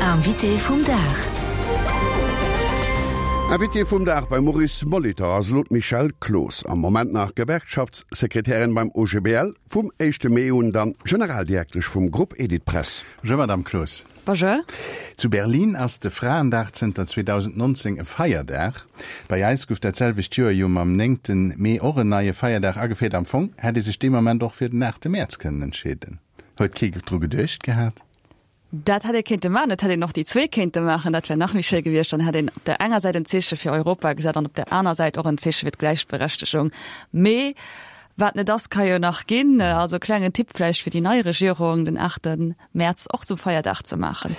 Invité vum Dag. Invitée vum Dag beim Maurice Molitor ass elo d'Michèle Cloos, am Moment nach Gewerkschaftssekretärin beim OGBL, vum éischte Mee un dann Generaldirektesch vum Grupp Editpress. Bonjour Madame Cloos. Bonjour. Zu Berlin ass de Fraendag zënter 2019 e Feierdag. Bei eis gouf dat selwecht Joer jo mam néngten Mee och en neie Feierdag ageféiert. Am Fong hätt ee sech dee Moment och fir den aachte Mäerz kënnen entscheeden. Huet kee dru geduecht gehat? Dat hätt ee kéinte maachen. Et hätt een och déi zwee kéinte maachen. Dat wär nach méi schéi gewiescht. Dann hätt een op der enger Säit en Zeeche fir Europa gesat an op der aner Säit och en Zeeche fir d'Gläichberechtegung. Mee wat net ass, ka jo nach ginn. Also klengen Tipp vläicht fir déi nei Regierung, den aachte Mäerz och zum Feierdag ze maachen.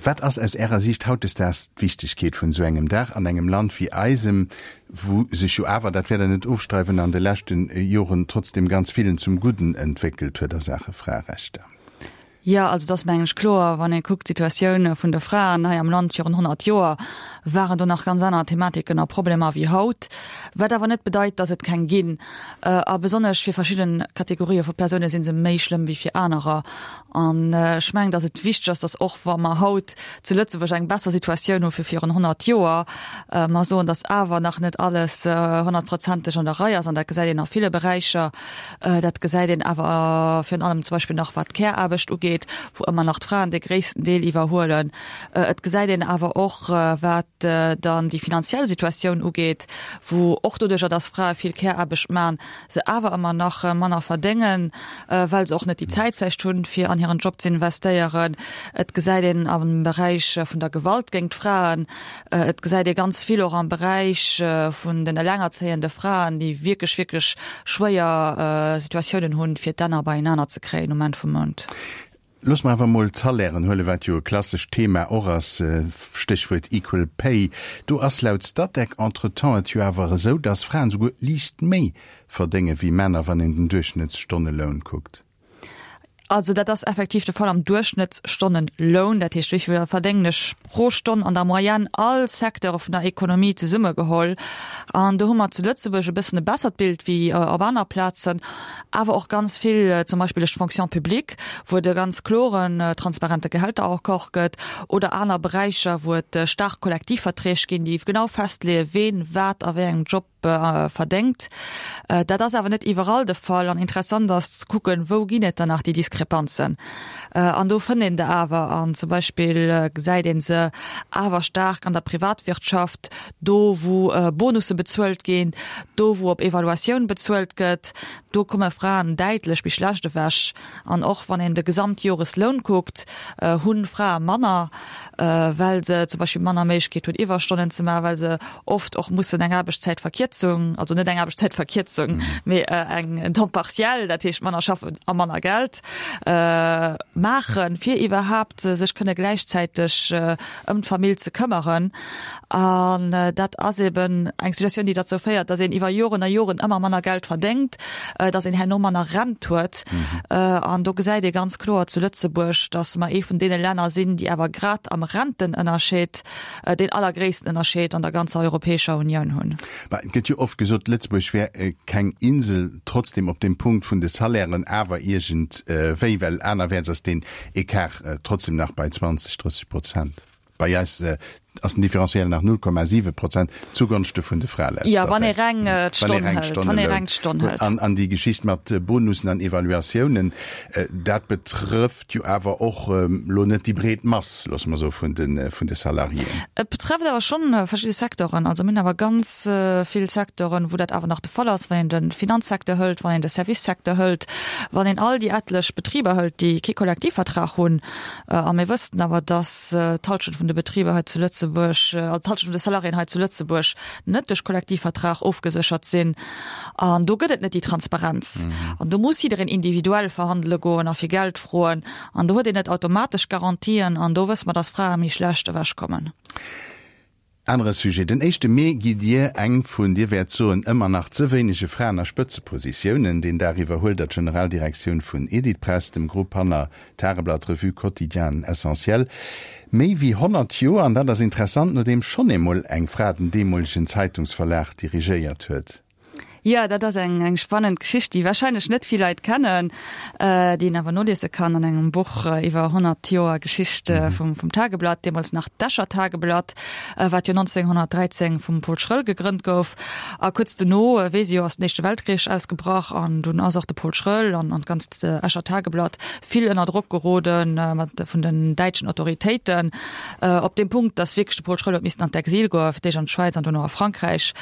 Wat ass aus Ärer Siicht hautdesdaags d'Wichtegkeet vun esou engem Dag an engem Land wéi eisem, wou sech jo awer, dat wäert Der net ofstreiden, an de leschte Joren trotzdem ganz villen zum Gudden entwéckelt huet a Saache Fraerechter? Jo, also et ass mengen ech kloer, wann ee kuckt d'Situatioun vun de Fraen hei am Land virun 100 Joer, waren do nach ganz aner Thematiken a Problemer wéi haut. Wat awer net bedeit, datt et keng ginn. A besonnesch fir verschidde Kategorië vu Persoune si se méi schlëmm wéi fir anerer. An ech mengen, datt et wichteg ass, datt och wa mer haut zu Lëtzebuerg eng besser Situatioun hu wéi virun 100 Joer, mer soen, datt awer nach net alles honnertprozenteg an der Rei ass. An dat gesäit een a ville Beräicher. Dat gesäit een awer virun allem zum Beispill nach wat d'Care-Aarbecht ugeet, wou ëmmer nach d'Fraen de gréissten Deel iwwerhuelen. Et gesäit een awer och wat dann déi finanziell Situatioun ugeet, wou och doduercher, datt Frae vill Care-Aarbecht man, se awer ëmmer nach manner verdéngen, well se och net déi Zäit vläicht hunn, fir an hiren Job ze investéieren. Et gesäit een am Beräich vun der Gewalt géint d'Fraen, Et gesäit ee ganz vill och am Beräich vun den elengerzéiende Fraen, déi wierklech, wierklech schwéier Situatiounen hunn, fir d'Enner beienaner ze kréien um Enn vum Mount. Loosse mer awer emol d'Salairen huelen, wat jo e klassescht Thema och ass, Stéchwuert Equal Pay. Do ass laut Statec entretemps et jo awer esou, dass Fraen souguer liicht méi verdénge wéi Männer, wann een den Duerchschnëttsstonneloun kuckt. Also dat ass effektiv de Fall am Duerchschnëttsstonneloun. Dat heescht, wéi vill verdéngen ech pro Stonn an der Moyenne, all Secteure vun der Ekonomie zesummegeholl. An do hu mer zu Lëtzebuerg e bëssen e bessert Bild wéi op aner Plazen, awer och ganz vill zum Beispill duerch d'Fonction publique, wou et e ganz kloren, transparente Gehälteraccord gëtt, oder aner Beräicher, wou et staark Kollektivverträg ginn, déi genau festleeën, ween wat a wéi engem Job verdéngt. Dat ass awer net iwwerall de Fall an interessant ass ze kucken, wou ginn et dann nach déi Diskrepanzen. An do fënnt een der awer an zum Beispill gesäit ee se awer staark an der Privatwirtschaft, do wou Bonusse bezuelt ginn, do wou op Evaluatioun bezuelt gëtt, do komme Fraen däitlech méi schlecht ewech. An och wann een de Gesamtjoresloun kuckt, hu Frae manner, well se zum Beispill manner Méiglechkeet hunn Iwwerstonnen ze maachen, well se oft och mussen eng Aarbechtszäitverkierzung, also net eng Aarbechtszäitverkierzung, mee eng en Temps partiel, dat heescht manner schaffen a manner Geld maachen, fir iwwerhaapt sech kënne gläichzäiteg ëm d'Famill ze këmmeren. An dat ass eben eng Situatioun, déi derzou féiert, datt een iwwer Joren a Joren ëmmer manner Geld verdéngt, datt een herno manner Rent huet. An do gesäit ee ganz kloer zu Lëtzebuerg, datt mer ee vun deene Länner sinn, déi awer grad am Rentenënnerscheed deen allergréissten Ënnerscheed an der ganzer Europäescher Unioun hunn. Mä et gëtt jo oft gesot, Lëtzebuerg wär keng Insel, trotzdem op deem Punkt vun de Salairen awer iergendwéi, well anerwäerts ass deen Ecart trotzdem nach bei 20, 30 Prozent. Bei eis ass den Différentiel nach 0,7 Prozent zugonschte vun de Frae laut Jo, wann ee reng d'Stonn hëlt. Wann ee reng d'Stonn hëlt. An déi Geschicht mat Bonussen an Evaluatiounen, dat betrëfft jo awer och elo net déi breet Mass, loosse mer soe vun de vun de Salariéen. Et betrëfft awer schonn verschidde Secteuren. Also mir hunn awer ganz vill Secteuren, wou dat awer nach de Fall ass, wann een de Finanzsecteur hëlt, wann een de Servicesecteur hëlt, wann een all déi etlech Betriber hëlt, déi kee Kollektivvertrag hunn. A mir wëssten awer, dass d'Halschent vun de Betriber hei zu Lëtzebuerg, also d'Halschent vun de Salariéen hei zu Lëtzebuerg net duerch Kollektivvertrag ofgeséchert sinn. An do gëtt et net déi Transparenz. An do muss jiddereen individuell verhandele goen a fir Geld froen. An do huet een net automatesch Garantien. An do wësse mer, dass Frae méi schlecht ewechkommen. Anere Sujet, Den éischte Mee gitt Dir eng vun, Dir wäert soen, ëmmer nach ze wéinege Fraen a Spëtzepositiounen. Deen Dag iwwerhuelt Der d'Generaldirektioun vun Editpress, dem Grupp hanner Tageblatt, Revue, Quotidien an Essentiel. Méi wéi 100 Joer, an dat ass interessant, nodeem schonn eemol eng Fra den deemolegen Zeitungsverlag dirigéiert huet. Jo, dat ass eng eng spannend Geschicht, déi warscheinlech net vill Leit kennen, déi een awer noliese kann an engem Buch iwwer 100 Joer Geschicht vum vum Tageblatt, deemools nach d'Escher Tageblatt, wat jo 1913 vum Paul Schröll gegrënnt gouf. A kuerz dono, weess ee jo, ass den Éischte Weltkrich ausgebrach an dunn ass och de Paul Schröll an an d'ganzt Escher Tageblatt vill ënner Drock geroden mat vun den däitschen Autoritéiten, op deem Punkt, datt wierklech de Paul Schröll huet missen an d'Exil goen, fir d'éischt an d'Schwäiz an dono a Frankräich.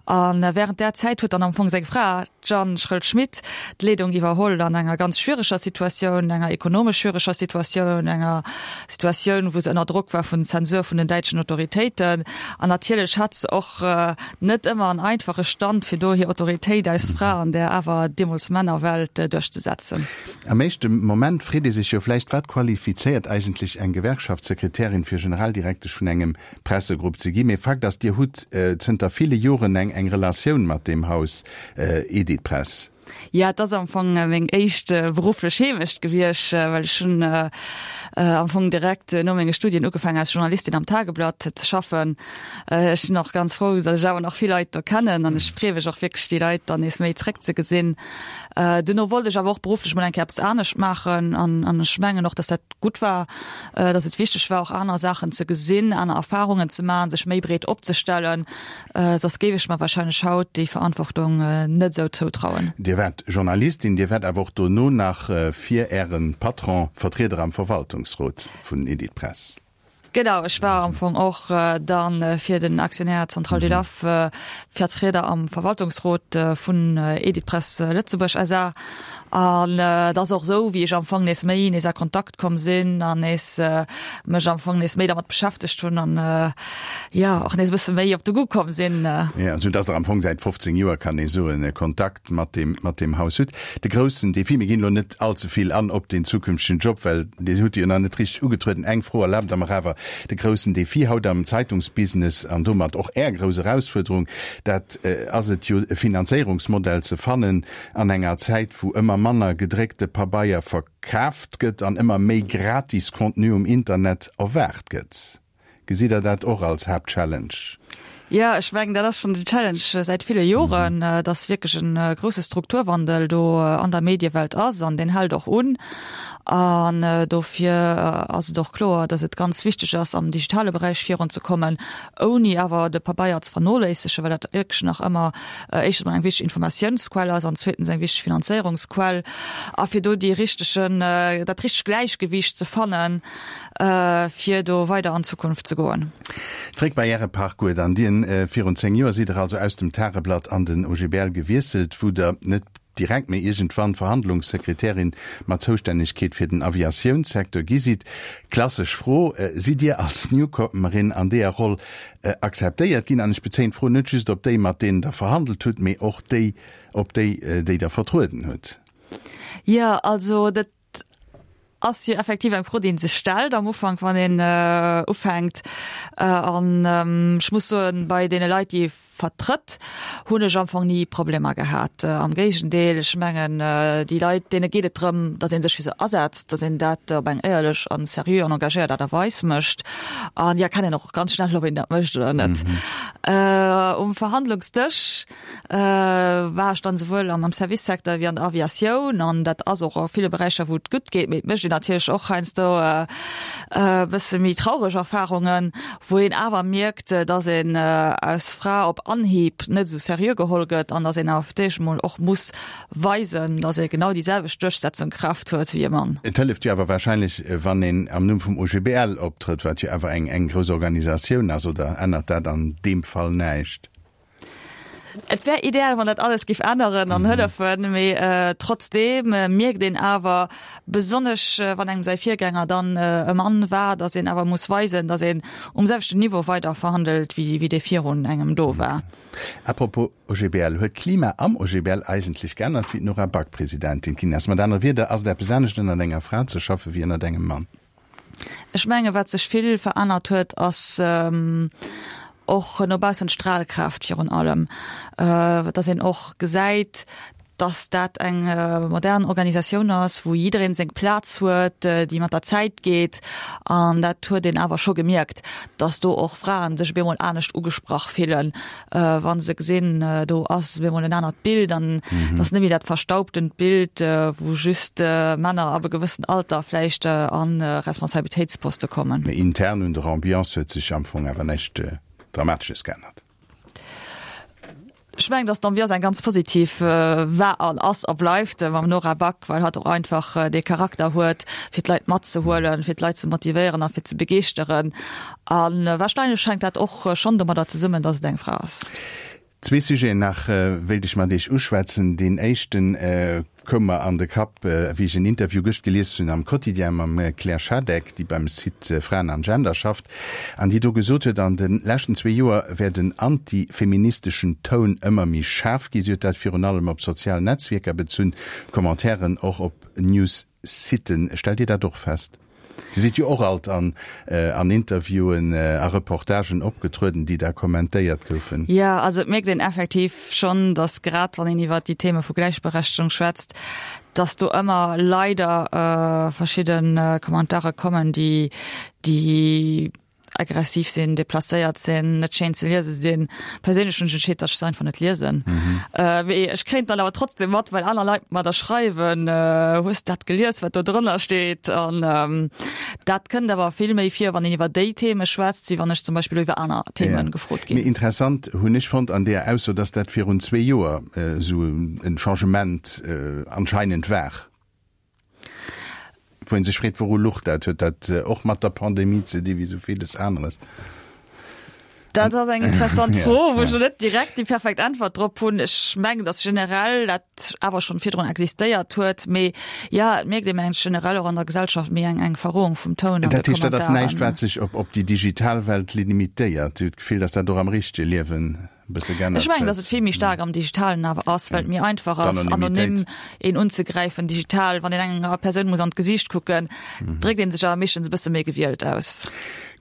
A wärend där Zäit huet dann am Fong seng Fra, d'Jeanne Schröll-Schmit, d'Leedung iwwerholl an enger ganz schwiereger Situatioun, enger ekonomesch schwiereger Situatioun, enger Situatioun, wou se ënner Drock war vun Zensur vun den däitschen Autoritéiten. An natierlech hat se och net ëmmer en einfache Stand, fir do hir Autoritéit als Fra an där awer deemools Männerwelt duerchzesetzen. Am éischte Moment freet ee sech jo vläicht, Wat qualifizéiert eigentlech eng Gewerkschaftssekretärin fir Generaldirektesch vun engem Pressegrupp ze ginn? Mee Fakt ass, Dir hutt zënter ville Joren eng eng Relatioun mat deem Haus Editpress. Jo, et ass am Fong meng éischt berufflech Heemecht gewiescht, well ech hunn am Fong direkt no menge Studien ugefaangen als Journalistin am Tageblatt ze schaffen. Ech sinn och ganz frou, datt ech awer nach vill Leit do kennen an ech freeë mech och wierklech déi Leit dann nees méi zréckzegesinn. Duerno wollt ech awer och berufflech mol eng Kéier eppes anescht maachen an an ech mengen och, datt dat gutt war, datt et wichteg war och aner Saachen ze gesinn, aner Erfarungen ze maachen, sech méi breet opzestellen. Soss géif ech mer wahrscheinlech haut déi Verantwortung net esou zoutrauen. Dir waart Journalistin, Dir waart awer och dono nach fir Äre Patron Vertrieder am Verwaltungsrot vun Editpress. Genau, ech war am Fong och dann fir den Aktionär Centrale du Laf Vertrieder am Verwaltungsrot vun Editpress Lëtzebuerg SA. An et ass och esou, wéi ech am Fong nees méi nees a Kontakt komm sinn an nees mech am Fong nees méi dermat beschäftegt hunn an jo och nees e bësse méi op de Goût komm sinn. Jo, esou dass Der am Fong säit 15 Joer, kann ee soen, Kontakt mat deem, mat deem Haus hutt. De groussen Defi, mir ginn elo net all ze vill an op den zukünftegen Job, well Dir hutt jo nach net richteg ugetrueden. Eng Fro erlaabt Der mer awer, De groussen Defi haut am Zeitungsbusiness an domat och Är grouss Erausfuerderung, dat ass et jo, e Finanzéierungsmodell ze fannen, An enger Zäit, wou ëmmer manner gedréckte Pabeier verkaaft gëtt an ëmmer méi gratis Contenu um Internet erwaart gëtt, gesitt Der dat och als Haaptchallenge? Jo, ech mengen, dat ass schonn den Challenge säit ville Joren, dass wierklech e grousse Strukturwandel do an der Mediewelt ass an deen hält och un. An dofir ass et och kloer, dass et ganz wichteg ass, am digitale Beräich virunzekommen, ouni awer de Pabeier ze vernoléissegen, well dat wierklech nach ëmmer éischtens mol eng wichteg Informatiounsquell ass an zweetens eng wichteg Finanzéierungsquell a fir do dee richtegen, dat richtegt Gläichgewiicht ze fannen, fir do weider an d'Zukunft ze goen. Zréck bei Äre Parcours dann. Dien, Virun 10 Joer sidd Der also aus dem Tageblatt an den OGBL gewiesselt, wou Der net direkt, mee iergendwann Verhandlungssekretärin mat Zoustännegkeet fir den Aviatiounssecteur gi sidd. Klassesch Fro, Sidd Dir als Newcomerin an deeër Roll akzeptéiert ginn? An ech bezéien d'Fro net just op déi, mat deenen Der verhandelt hutt, mee och déi, op déi, déi Der vertrueden hutt. Jo, also dat ass jo effektiv eng Fro, déi ee sech stellt am Ufank, wann een ufänkt. An ech muss soen, bei deene Leit, déi ee vertrëtt, hunn ech am Fong ni Problemer gehat. Am Géigendeel, ech mengen, déi Leit, deene geet et drëm, datt ee sech fir se asetzt, datt een dat op eng éierlech an seriö an engagéiert Aart a Weis mécht. An déi erkennen och ganz schnell, ob een dat mécht oder net. Um Verhandlungsdësch war ech dann souwuel am Servicesecteur wéi an der Aviatioun an dat ass och a ville Beräicher wou et gutt geet, mee et mécht een natierlech och heiansdo e bësse méi traureg Erfarungen, wou een awer mierkt, datt een als Fra op Anhieb net esou seriö geholl gëtt an datt een awer fir d'éischt emol och muss weisen, datt ee genau déi selwecht Duerchsetzungkraaft huet wéi e Mann. Et hëlleft jo awer wahrscheinlech, wann een am Numm vum OGBL optrëtt, wat jo awer eng grouss Organisatioun ass, oder ännert dat an deem Fall näischt? Et wär ideal, wann dat alles géif änneren an hëllefen, mee trotzdeem mierkt een awer, besonnesch wann engem säi Virgänger dann e Mann war, datt een awer muss weisen, datt een um selwechten Niveau weider verhandelt, wéi dee virun engem do war. À propos OGBL, Huet d'Klima am OGBL eigentlech geännert, wéi d'Nora Back Presidentin ginn ass? Mat anere Wierder, ass et eppes anescht ënnert enger Fra ze schaffe wéi ënnert engem Mann? Ech menge wat sech vill verännert huet, ass och no baussen d'Stralkraaft virun allem, datt een och gesäit, Dass dat eng modern Organisatioun ass, wou jiddereen seng Plaz huet, déi mat der Zäit geet. An dat huet een awer scho gemierkt, dass do och Fraen sech op eemol anescht ugesprach fillen, wa se gesinn, do ass op eemol en anert Bild an et ass net méi dat verstaubtent Bild, wou just Männer ab e gewëssen Alter vläicht a Responsabilitéitsposte kommen. Mee intern un der Ambiance huet sech am Fong awer näischt Dramatesches geännert. Ech mengen, datt d'Ambiance eng ganz positiv war an ass a bleift mam Nora Back, well hatt och einfach dee Charakter huet, fir d'Leit matzehuelen, fir d'Leit ze motivéieren a fir ze begeeschteren. A warscheinlech hänkt dat och schonn domadder zesummen, datt et eng Fra ass. Zwee Sujeten nach wéilt ech mat Iech uschwätzen. Deen éischten koum mer an de Kapp, wéi ech en Interview gëscht gelies hunn am Quotidien mam Claire Schadeck, déi beim Site Fraen an Gender schafft an déi do gesot huet, an de leschten zwee Joer wär den antifeministeschen Toun ëmmer méi schaarf gi. Si huet dat virun allem op sozial Netzwierker bezunn, Commentairen och op News-Siten. Stellt Dir dat och fest? Dir sidd jo och alt an an Interviewen a Reportagen opgetrueden, déi da kommentéiert goufen. Jo, also et mierkt een effektiv schonn, datt grad wann een iwwert déi Theme vu Gläichberechtegung schwätzt, datt do ëmmer leider verschidde Kommentare kommen, déi déi aggressiv sinn, deplacéiert sinn, net schéin ze liese sinn. Perséinlech hunn ech entscheet, datt ech se einfach net liesen. Mee ech kréien et dann awer trotzdem mat, well aner Leit mer da schreiwen, Hues de dat gelies, wat do drënner steet? An dat kënnt awer vill méi vir, wann een iwwer déi Theme schwätzt, wéi wann ech zum Beispill elo iwwer aner Theme gefrot ginn. Mee interessant hunn ech fonnt an deeër Ausso, datt dat virun zwee Joer esou en Changement anscheinend war. Wou een sech freet, Wouru luch dat? Huet dat och mat der Pandemie ze di wéi sou villes aneres? Dat ass eng interessant Fro, wou ech elo net direkt déi perfekt Äntwert drop hunn. Ech mengen, datt generell dat awer schonn virdrun existéiert huet, mee jo, et mierkt ee mengen ech generell och an der Gesellschaft méi eng eng Verrohung vum Toun an de Dat heescht, dat ass näischt, wat sech op op déi digital Welt limitéiert? Dir hutt d'Gefill, datt dat och am richtege Liewen e bësse geännert Ech mengen, datt et vill méi staark am Digitalen awer ass, well et méi einfach ass, anonym een unzegräifen digital. Wann een enger Persoun muss an d'Gesiicht kucken, dréckt ee sech awer meeschtens e bësse méi gewielt aus.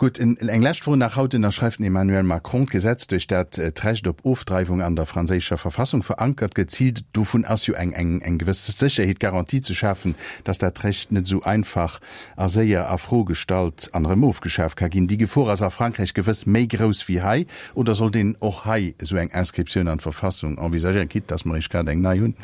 Gutt, eng lescht Fro nach. Haut ënnerschreift den Emmanuel Macron d'Gesetz, duerch dat d'Recht op Ofdreiwung an der franséischer Verfassung verankert gëtt. Zil dovun ass jo eng eng gewëss Sécherheet, Garantie ze schafen, datt dat Recht net esou einfach a séier a Fro gestallt an erëm ofgeschaf ka ginn. Déi Gefor ass a Frankräich gewëss méi grouss wéi hei. Oder sollt een och hei esou eng Inscriptioun an d'Verfassung envisagéieren, quitte dass mer eréischt grad eng nei hunn?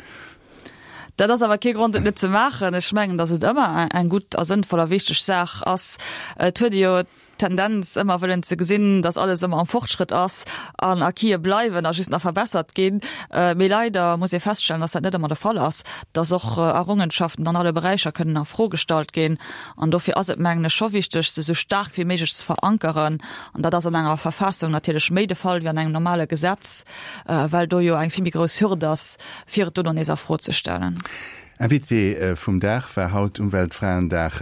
Dat ass awer kee Grond, et net ze maachen. Ech mengen, dass et ëmmer eng gutt a sënnvoll a wichteg Saach ass. Et huet ee jo d'Tendenz, ëmmer wëllen ze gesinn, dass alles ëmmer am Fortschrëtt ass an Acquise bleiwen a just nach verbessert ginn. Mee leider muss ee feststellen, dass dat net ëmmer de Fall ass, dass och Errungenschaften an alle Beräicher kënnen a Fro gestallt ginn. An dofir ass et, mengen ech, scho wichteg, se esou staark wéi méiglech ze verankeren. An dat ass an enger Verfassung natierlech méi de Fall wéi an engem normale Gesetz, well do jo eng vill méi grouss Hürd ass, fir et dono nees a Fro ze stellen. Invitée vum Dag war haut um Weltfraendag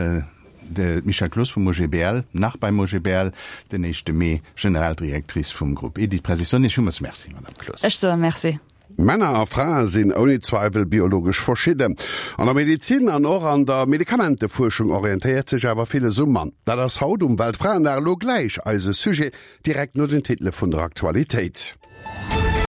d'Michèle Cloos vum OGBL, nach beim OGBL, den éischte Mee Generaldirectrice vum Groupe Editpress. Ech soen Iech villmools Merci, Madame Cloos. Ech soe Merci. Männer a Frae sinn ouni Zweiwel biologesch verschidden. An der Medezin an och an der Medikamentefuerschung orientéiert sech awer villes um Mann. Dat ass haut um Weltfraendag elo gläich eise Sujet, direkt no den Titele vun der Aktualitéit.